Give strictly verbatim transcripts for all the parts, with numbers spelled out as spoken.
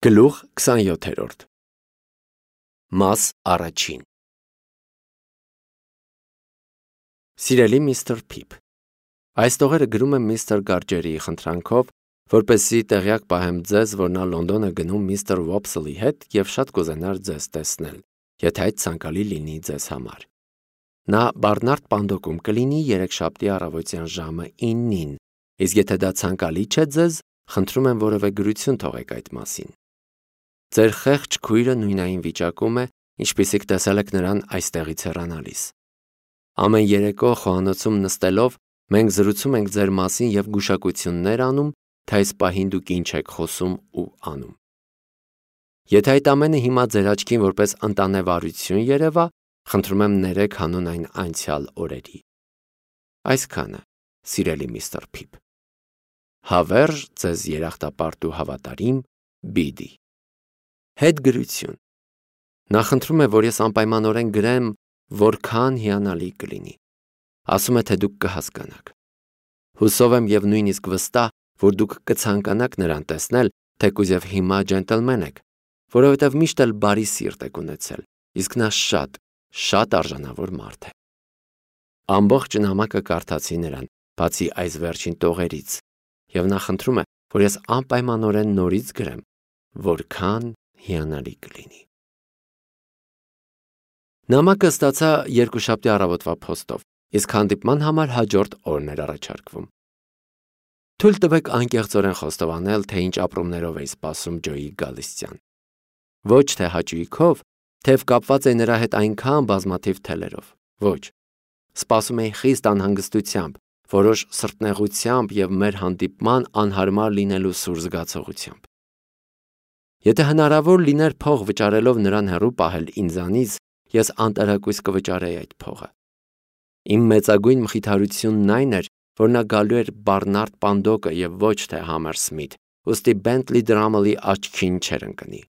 Գլուխ քսանյոթերորդ Մաս առաջին Սիրելի միստր Փիփ, այս տողերը գրում եմ միստր Գարջերիի խնդրանքով, որպեսզի տեղյակ պահեմ ձեզ, որ նա Լոնդոն է գնում միստր Վոփսլի հետ և շատ կուզենար ձեզ տեսնել, եթե այդ ցանկալի լինի ձեզ համար։ Նա Բարնարդ Պանդոկում կլինի երեքշաբթի առավոտյան ժամը իննին, իսկ եթե դա ցանկալի չէ ձեզ, խնդրում եմ որևէ գրություն թողեք այդ մասին։ Ձեր խեղճ քույրը նույնային վիճակում է, ինչպիսիք տեսել եք նրան այստեղից հեռանալիս։ Ամեն երեկո խոհանոցում նստելով մենք զրուցում ենք ձեր մասին և գուշակություններ անում, թե այս պահին դուք ինչ եք խոսում ու անում։ Եթե այդ ամենը հիմա ձեր աչքին որպես ընտանեվարություն երևա, խնդրում եմ ներեք հանուն այն անցյալ օրերի։ Այսքանը, սիրելի միստր Փիփ։ Հավերժ ձեզ երախտապարտ ու հավատարիմ Բիդի։ Հետգրություն։ Նա խնդրում է, որ ես անպայմանորեն գրեմ, որքան հիանալի կլինի։ Ասում է, թե դուք կհասկանաք։ Հուսով եմ և նույնիսկ վստահ, որ դուք կցանկանաք նրան տեսնել, թեկուզ և հիմա ջենտլմեն եք, որովհետև միշտ էլ բարի սիրտ եք ունեցել, իսկ նա շատ, շատ արժանավոր մարդ է։ Ամբողջ նամակը կարդացի նրան, բացի այս վերջին տողերից, և նա խնդրում է, որ ես անպայմանորեն նորից գրեմ, որքան հիանալի կլինի։ Նամակը ստացա երկուշաբթի առավոտվա փոստով, իսկ հանդիպման համար հաջորդ օրն էր առաջարկվում։ Թույլ տվեք անկեղծորեն խոստովանել, թե ինչ ապրումներով էի սպասում Ջոյի գալստյան։ Ոչ թե հաճույքով, թեև կապված էի նրա հետ այնքան բազմաթիվ թելերով, ոչ։ Սպասում էի խիստ անհանգստությամբ, որոշ սրտնեղությամբ և մեր հանդիպման անհարմար լինելու սուր զգացողությամբ։ Եթե հնարավոր լիներ փող վճարելով նրան հեռու պահել ինձանից, ես անտարակույս կվճարեի այդ փողը։ Իմ մեծագույն մխիթարությունն այն էր, որ նա գալու էր Բարնարդ Պանդոկը և ոչ թե Համերսմիթ, ուստի Բենթլի Դրամլի աչքին չէր ընկնի։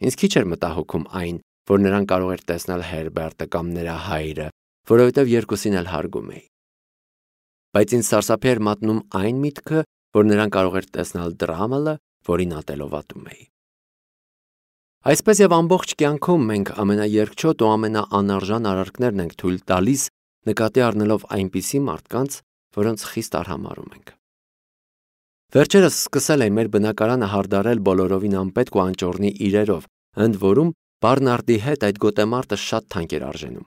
Ինձ քիչ էր մտահոգում այն, որ նրան կարող էր տեսնել Հերբերտը կամ նրա հայրը, որովհետև երկուսին էլ հարգում էի։ Բայց ինձ սարսափի էր մատնում այն միտքը, որ նրան կարող էր տեսնել Դրամլը, որին ատելով ատում էի։ Այսպես և ամբողջ կյանքում մենք ամենաերգչոտ ու ամենաանարժան արարքներն ենք թույլ տալիս, նկատի առնելով այնպիսի մարդկանց, որոնց խիստ արհամարհում ենք։ Վերջերս սկսել էի մեր բնակարանը հարդարել բոլորովին անպետք ու անճոռնի իրերով, ընդ որում Բարնարդի հետ այդ գոտեմարտը շատ թանկ էր արժենում։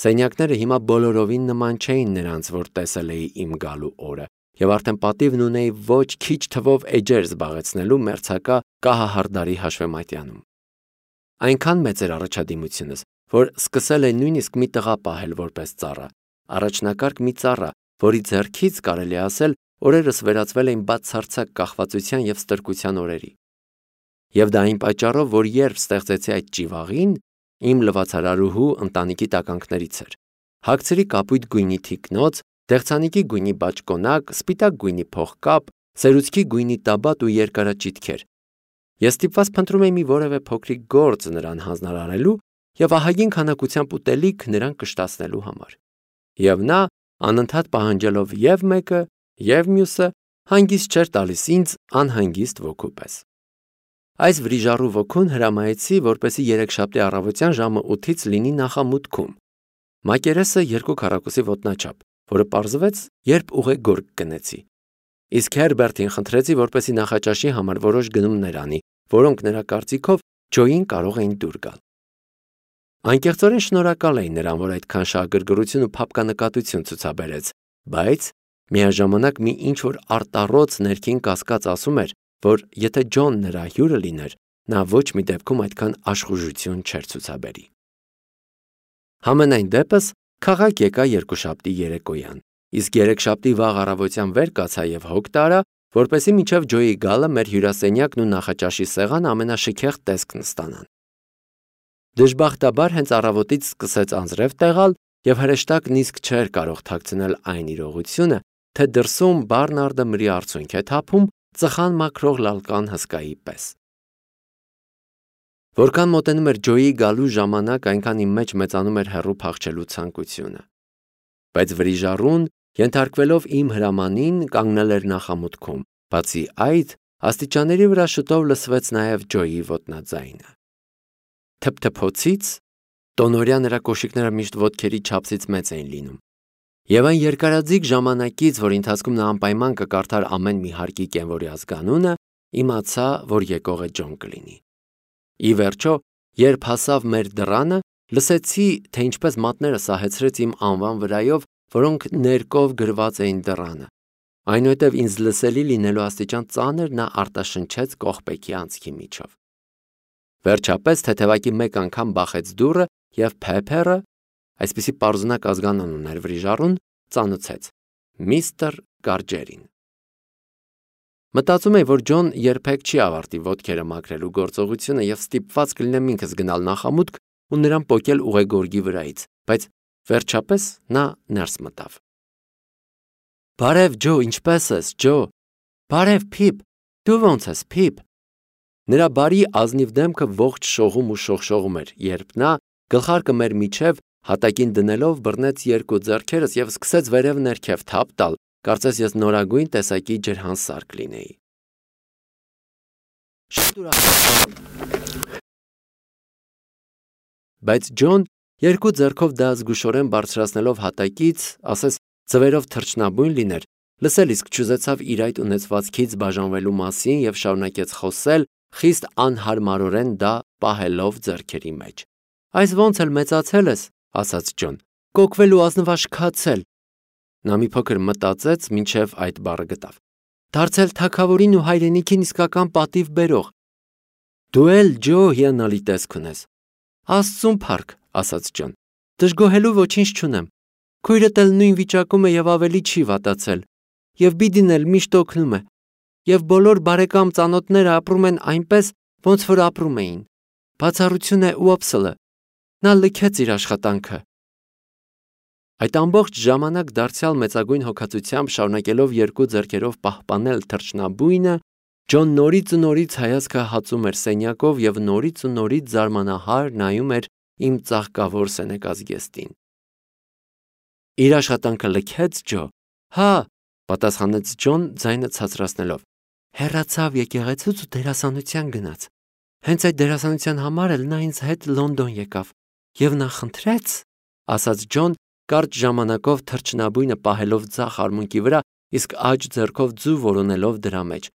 Սենյակները հիմա բոլորովին նման չէին նրանց, որ տեսել էի իմ գալու օրը, և արդեն պատիվն ունեի ոչ քիչ թվով էջեր զբաղեցնելու մերձակա կահահարդարի հաշվեմատյանում։ Այնքան մեծ էր առաջադիմությունս, որ սկսել էի նույնիսկ մի տղա պահել որպես ծառա, առաջնակարգ մի ծառա, որի ձեռքից, կարելի է ասել, օրերս վերածվել էին բացարձակ կախվածության և ստրկության օրերի։ Եվ դա այն պատճառով, որ երբ ստեղծեցի այդ ճիվաղին, իմ լվացարարուհու ընտանիքի տականքներից էր։ Հագցրի կապույտ գույնի թիկնոց, դեղցանիկի գույնի բաճկոնակ, սպիտակ գույնի փողկապ, սերուցքի գույնի տաբատ ու երկարաճիտքեր։ Ես ստիպված փնտրում էի մի որևէ փոքրիկ գործ նրան հանձնարարելու և ահագին քանակությամբ ուտելիք նրան կշտացնելու համար։ Եվ նա, անընդհատ պահանջելով և մեկը, և մյուսը, հանգիստ չէր տալիս ինձ անհանգիստ ոգու պես։ Այս վրիժառու ոգուն հրամայեցի, որպեսզի երեքշաբթի առավոտյան ժամը ութից լինի նախամուտքում։ Մակերեսը երկու քառակուսի ոտնաչափ, որը պարզվեց, երբ ուղեգորգ գնեցի։ Իսկ Հերբերտին խնդրեցի, որպեսզի նախաճաշի համար որոշ գնումներ անի, որոնք նրա կարծիքով Ջոյին կարող էին դուր գալ։ Անկեղծորեն շնորհակալ էի նրան, որ այդքան շահագրգռություն ու փափկանկատություն ցուցաբերեց, բայց միաժամանակ մի ինչ-որ արտառոց ներքին կասկած ասում էր, որ եթե Ջոն նրա հյուրը լիներ, նա ոչ մի դեպքում այդքան աշխուժություն չէր ցուցաբերի։ Համենայն դեպս քաղաք եկա երկուշաբթի երեկոյան, իսկ երեքշաբթի վաղ առավոտյան վեր կացա և հոգ տարա, որպեսզի մինչև Ջոյի գալը մեր հյուրասենյակն ու նախաճաշի սեղանը ամենաշքեղ տեսքն ստանան։ Դժբախտաբար հենց առավոտից սկսեց անձրև տեղալ և հրեշտակն իսկ չէր կարող թաքցնել այն իրողությունը, թե դրսում Բարնարդը մրի արցունք է թափում ծխան մաքրող լալկան հսկայի պես։ Որքան մոտենում էր Ջոյի գալու ժամանակ, այնքան իմ մեջ մեծանում էր հեռու փախչելու ցանկությունը։ Բայց վրիժառուն, ենթարկվելով իմ հրամանին, կանգնել էր նախամուտքում, բացի այդ, աստիճանների վրա շուտով լսվեց նաև Ջոյի ոտնաձայնը։ Թփթփոցից տոնորյա նրա կոշիկները միշտ ոտքերի չափսից մեծ էին լինում։ Եվ այն երկարաձիգ ժամանակից, որ ընթացքում նա անպայման կկարդար ամեն մի հարկի կենվորի ազգանունը, իմացա, որ եկողը Ջոն կլինի։ Ի վերջո, երբ հասավ մեր դռանը, լսեցի, թե ինչպես մատները սահեցրեց իմ անվան վրայով, որոնք ներկով գրված էին դռանը։ Այնուհետև ինձ լսելի լինելու աստիճան ծանր նա արտաշնչեց կողպեքի անցքի միջով։ Վերջապես թեթևակի մեկ անգամ բախեց դուռը և Փեփերը, այսպիսի պարզունակ ազգանուն ուներ վրիժառուն, ծանուցեց. միստր Գարջերին։ Մտածում էի, որ Ջոն երբեք չի ավարտի ոտքերը մաքրելու գործողությունը և ստիպված կլինեմ ինքս գնալ նախամուտք ու նրան պոկել ուղեգորգի վրայից, բայց վերջապես նա ներս մտավ։ Բարև Ջո, ինչպե՞ս ես, Ջո։ Բարև Փիփ, դու ո՞նց ես, Փիփ։ Նրա բարի ազնիվ դեմքը ողջ շողում ու շողշողում էր, երբ նա գլխարկը մեր միջև հատակին դնելով բռնեց երկու ձեռքերս և սկսեց վերև ներքև թափ տալ, կարծես ես նորագույն տեսակի ջրհանսար կլինեի։ Շատ ուրախ։ Բայց Ջոն երկու ձեռքով դա զգուշորեն բարձրացնելով հատակից, ասես ձվերով թռչնաբույն լիներ, լսել իսկ չուզեցավ իր այդ ունեցվածքից բաժանվելու մասին և շարունակեց խոսել, խիստ անհարմարորեն դա պահելով ձեռքերի մեջ։ Այս ոնց էլ մեծացել ես, ասաց Ջոն, կոկվել ու ազնվաշքացել։ Նա մի փոքր մտածեց, մինչև այդ բառը գտավ։ Դարձել թագավորին ու հայրենիքին իսկական պատիվ բերող։ Դու էլ Ջո հիանալի տեսք ունես։ Աստծուն փառք, ասաց Ջոն, դժգոհելու ոչինչ չունեմ։ Քույրդ էլ նույն վիճակում է և ավելի չի վատացել, և Բիդին էլ միշտ օգնում է, և բոլոր բարեկամ ծանոթները ապրում են այնպես, ոնց որ ապրում էին։ Բացառություն է Ուոփսլը, նա լքեց իր աշխատանքը։ Այդ ամբողջ ժամանակ դարձյալ մեծագույն հոգացությամբ շարունակելով երկու ձեռքերով պահպանել թռչնաբույնը, Ջոն նորից ու նորից հայացքը հացում էր սենյակով և նորից ու նորից զարմանահար նայում էր իմ ծաղկավոր սենեկած զգեստին։ Իր աշխատանքը լքեց Ջո։ Հա, պատասխանեց Ջոն ձայնը ցածրացնելով։ Հեռացավ եկեղեցուց ու դերասանության գնաց։ Հենց այդ դերասանության համար էլ նա ինձ հետ Լոնդոն եկավ։ Եվ նա խնդրեց, ասաց Ջոն, կարճ ժամանակով թռչնաբույնը պահելով ձախ արմունկի վրա, իսկ աջ ձեռքով ձու որոնելով դրա մեջ,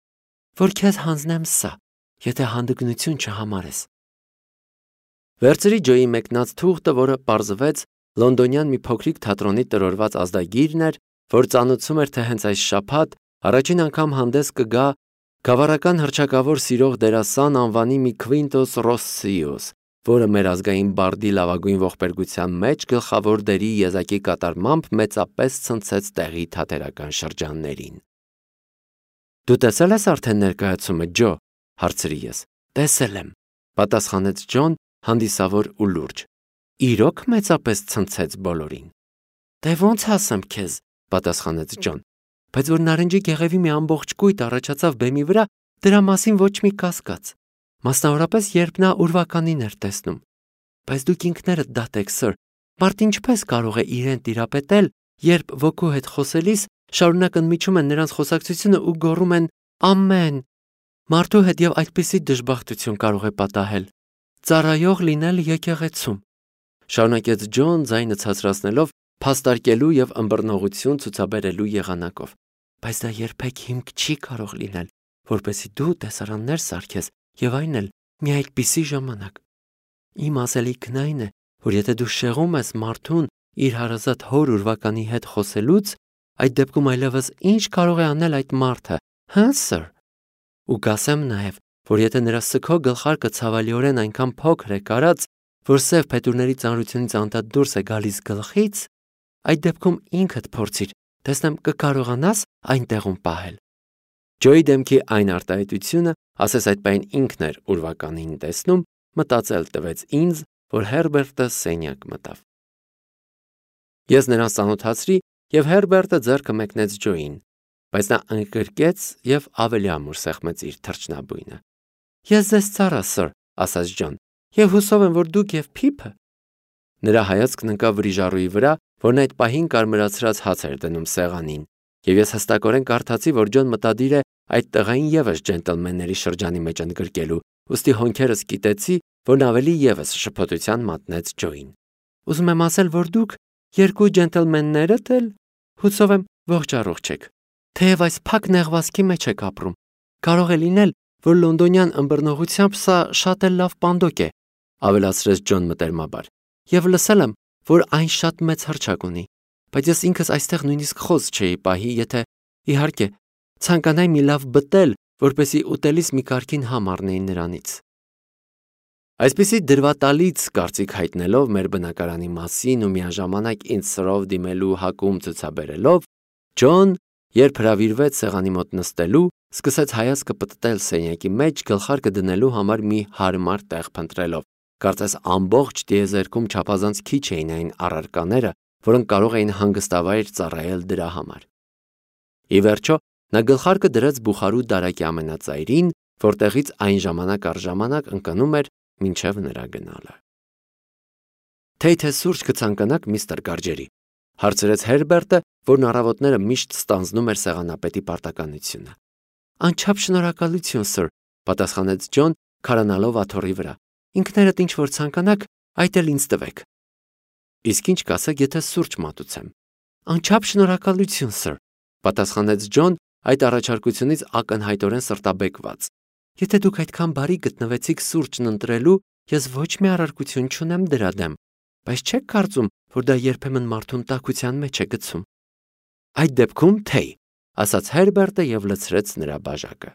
որ քեզ հանձնեմ սա, եթե հանդգնություն չհամարես։ Վերցրի Ջոյի մեկնած թուղթը, որը պարզվեց լոնդոնյան մի փոքրիկ թատրոնի տրորված ազդագիրն էր, որ ծանուցում էր, թե հենց այս շաբաթ առաջին անգամ հանդես կգա գավառական հռչակավոր սիրող դերասան անվանի մի Քվինտոս Ռոսսիոս, որը մեր ազգային բարդի լավագույն ողբերգության մեջ գլխավոր դերի եզակի կատարմամբ մեծապես ցնցեց տեղի թատերական շրջաններին։ Դու տեսել ես արդեն ներկայացումը, Ջո, հարցրի ես։ Տեսել եմ, պատասխանեց Ջոն հանդիսավոր ու լուրջ։ Իրոք մեծապես ցնցեց բոլորին։ Դե ոնց ասեմ քեզ, պատասխանեց Ջոն, բայց որ նարնջի գեղևի մի ամբողջ կույտ առաջացավ բեմի վրա, դրա մասին ոչ մի կասկած։ Մասնավորապես, երբ նա ուրվականին էր տեսնում։ Բայց դուք ինքներդ դատեք, սըր, մարդ ինչպես կարող է իրեն տիրապետել, երբ ոգու հետ խոսելիս շարունակ ընդմիջում են նրանց խոսակցությունը ու գոռում են ամեն։ Մարդու հետ եւ այդպիսի դժբախտություն կարող է պատահել։ Ծառայող լինել եկեղեցում։ Շարունակեց Ջոն ձայնը ցածրացնելով, փաստարկելու եւ ըմբռնողություն ցուցաբերելու եղանակով։ Բայց դա երբեք հիմք չի կարող լինել, որպեսզի դու տեսարաններ սարքես եւ այն էլ մի այդպիսի ժամանակ։ Իմ ասելիքն այն է, որ եթե դու շեղում ես մարդուն իր հարազատ հոր ուրվականի հետ խոսելուց, այդ դեպքում այլևս ինչ կարող է անել այդ մարդը, հա, սըր։ Ու կասեմ նաեւ, որ եթե նրա սգո գլխարկը ցավալիորեն այնքան փոքր է կարած, որ սև փետուրների ծանրությունից անդադ դուրս է գալիս գլխից, այդ դեպքում ինքդ փորձիր, տեսնեմ կկարողանաս այնտեղում պահել։ Ջոյի դեմքի այն արտահայտությունը, ասես այդ պայն ինքն էր ուրվականին տեսնում, մտածել տվեց ինձ, որ Հերբերտը սենյակ մտավ։ Ես նրան ծանոթացրի եւ Հերբերտը ձեռքը մեկնեց Ջոյին, բայց նա ընկրկեց եւ ավելի ամուր սեղմեց իր թռչնաբույնը։ Ես ձեզ ծառա, սըր, ասաց Ջոն, եւ հուսով եմ, որ դուք եւ Փիփը։ Նրա հայացքն ընկավ վրիժառուի վրա, որն այդ պահին կարմրացրած հաց էր դնում սեղանին, եւ ես հստակորեն կարդացի, որ Ջոն մտադիր է այդ տղային եւս ջենտլմենների շրջանի մեջ ընդգրկելու, ուստի հոնքերս կիտեցի, որ ավելի եւս շփոթության մատնեց Ջոին։ Ուզում եմ ասել, որ դուք երկու ջենտլմեններդ էլ հուսով եմ ողջ առողջ եք։ Թեև այս փակ նեղվածքի մեջ եք ապրում, կարող է լինել, որ լոնդոնյան ըմբռնողությամբ սա շատ էլ լավ պանդոկ է, ավելացրեց Ջոն մտերմաբար, եւ լսել եմ, որ այն շատ մեծ հռչակ ունի, բայց ես ինքս այստեղ նույնիսկ խոս չէի պահի, եթե, իհարկե, ցանկանայի մի լավ բտել, որպեսի ուտելիս մի կարգին համ առնեի նրանից։ Այսպիսի դրվատալից կարծիք հայտնելով մեր բնակարանի մասին ու միաժամանակ ինձ սրով դիմելու հակում ցուցաբերելով, Ջոն, երբ հրավիրվեց սեղանի մոտ նստելու, սկսեց հայացքը պտտել սենյակի մեջ գլխարկը դնելու համար մի հարմար տեղ փնտրելով, կարծես ամբողջ տիեզերքում չափազանց քիչ էին այն առարկաները, որոնք կարող էին հանգստավայր ծառայել դրա համար։ Ի վերջո, նա գլխարկը դրեց բուխարու դարակի ամենածայրին, որտեղից այն ժամանակ առ ժամանակ ընկնում էր մինչև նրա գնալը։ Թե թե սուրճ կցանկանաք միստր Գարջերի, հարցրեց Հերբերտը, որն առավոտները միշտ ստանձնում էր սեղանապետի պարտականությունը։ Անչափ շնորհակալություն, սըր, պատասխանեց Ջոն, քարանալով աթոռի վրա։ Ինքներդ ինչ որ ցանկանաք, այդ էլ ինձ տվեք։ Իսկ ինչ կասեք, եթե սուրճ մատուցեմ։ Անչափ շնորհակալություն, սըր, պատասխանեց Ջոն, այդ առաջարկությունից ակնհայտորեն սրտաբեկված։ Եթե դուք այդքան բարի գտնվեցիք սուրճն ընտրելու, ես ոչ մի առարկություն չունեմ դրա դեմ, բայց չեք կարծում, որ դա երբեմն մարդուն տաքության մեջ է գցում։ Այդ դեպքում թեյ, ասաց Հերբերտը եւ լցրեց նրա բաժակը։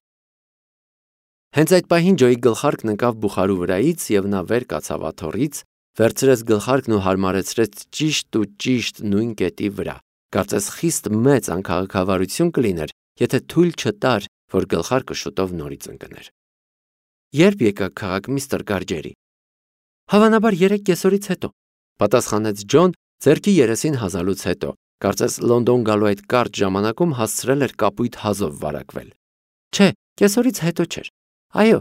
Հենց այդ պահին Ջոյի գլխարկն ընկավ բուխարու վրայից եւ նա վեր կացավ աթոռից, վերցրեց գլխարկն ու հարմարեցրեց ճիշտ ու ճիշտ նույն կետի վրա։ Կարծես խիստ մեծ անքաղաքավարություն կլիներ, եթե թույլ չտար, որ գլխարկը շուտով նորից ընկներ։ Երբ եկաք քաղաք, միստր Գարջերի։ Հավանաբար երեք կեսօրից հետո, պատասխանեց Ջոն, ձեռքի երեսին հազալուց հետո, կարծես Լոնդոն գալու այդ կարճ ժամանակում հասցրել էր կապույտ հազով վարակվել։ Չէ, կեսօրից հետո չէր։ Այո,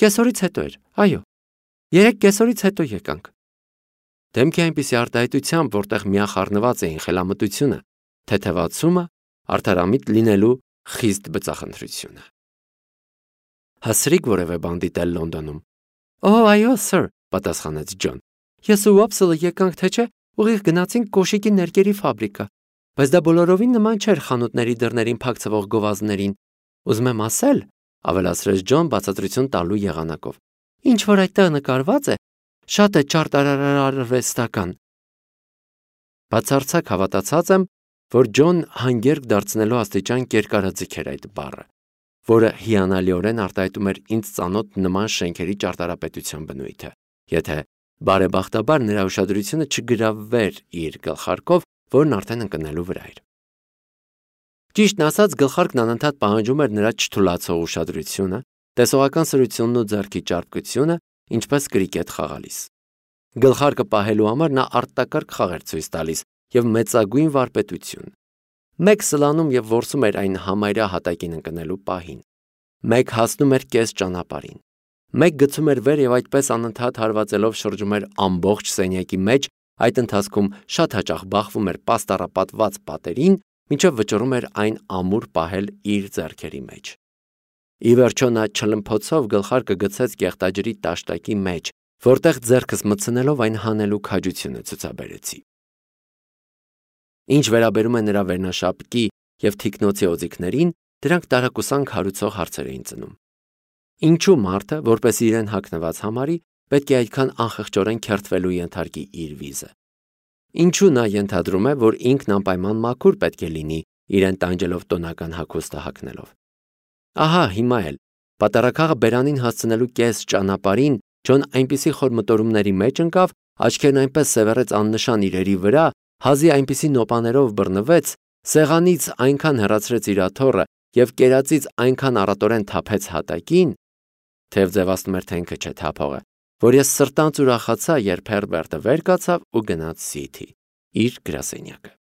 կեսօրից հետո էր, այո։ Երեք կեսօրից հետո եկանք։ Դեմքի այնպիսի արտահայտությամբ, որտեղ միախառնված էին խելամտությունը, թեթևացումը, արդարամիտ լինելու խիստ բծախնդրությունը։ Հասրիկ որևէ բան դիտել Լոնդոնում։ Օ, այո, սըր, պատասխանեց Ջոն։ Ես ու Ուոփսելը եկանք, թե չէ, ուղիղ գնացինք կոշիկի ներկերի ֆաբրիկա, բայց դա բոլորովին նման չէր խանութների դռներին փակցվող գովազդներին։ Ուզում եմ ասել, ավելացրեց Ջոն բացատրություն տալու եղանակով։ Ինչ որ այդտեղ նկարված է, շատ է ճարտարարարվեստական։ Բացարձակ հավատացած եմ, որ Ջոն հանգերք դարձնելու աստիճան կերկարաձգեր այդ բառը, որը հիանալիորեն արտահայտում էր ինձ ծանոթ նման շենքերի ճարտարապետության բնույթը, եթե բարեբախտաբար նրա ուշադրությունը չգրավվեր իր գլխարկով, որն արդեն ընկնելու վրա էր։ Ճիշտն ասած, գլխարկն անընդհատ պահանջում էր նրա չթուլացող ուշադրությունը, տեսողական սրությունն ու ձեռքի ճարպկությունը, ինչպես կրիկետ խաղալիս։ Գլխարկը պահելու համար նա արտակարգ խաղ էր ցույց տալիս եւ մեծագույն վարպետություն։ Մեկ սլանում եւ որսում էր այն համարյա հատակին ընկնելու պահին։ Մեկ հասնում էր կես ճանապարհին։ Մեկ գցում էր վեր եւ այդպես անընդհատ հարվածելով շրջում էր ամբողջ սենյակի մեջ, այդ ընթացքում շատ հաճախ բախվում էր պաստառապատված պատերին, մինչև վճռում էր այն ամուր պահել իր ձեռքերի մեջ։ Ի վերջո նա չլմփոցով գլխարկը գցեց կեղտաջրի տաշտակի մեջ, որտեղ ձեռքս մտցնելով այն հանելու քաջությունը ցուցաբերեցի։ Ինչ վերաբերում է նրա վերնաշապկի եւ թիկնոցի օձիքներին, դրանք տարակուսանք հարուցող հարցեր էին ծնում։ Ինչու մարդը, որպես իրեն հագնված համարի, պետք է այդքան անխղճորեն քերթվելու ենթարկի իր վիզը։ Ինչու նա ենթադրում է, որ ինքն անպայման մաքուր պետք է լինի, իրեն տանջելով տոնական հագուստը հագնելով։ Ահա հիմա էլ պատարակախը բերանին հասցնելու կես ճանապարհին Ջոն այնպիսի խոր մտորումների մեջ ընկավ, աչքերն այնպես սևեռեց աննշան իրերի վրա, հազի այնպիսի նոպաներով բռնվեց, սեղանից այնքան հեռացրեց իր աթոռը եւ կերածից այնքան առատորեն թափեց հատակին, թեև ձևացնում էր թե ինքը չէ թափողը, որ ես սրտանց ուրախացա, երբ Հերբերտը վեր կացավ ու գնաց Սիթի իր գրասենյակը։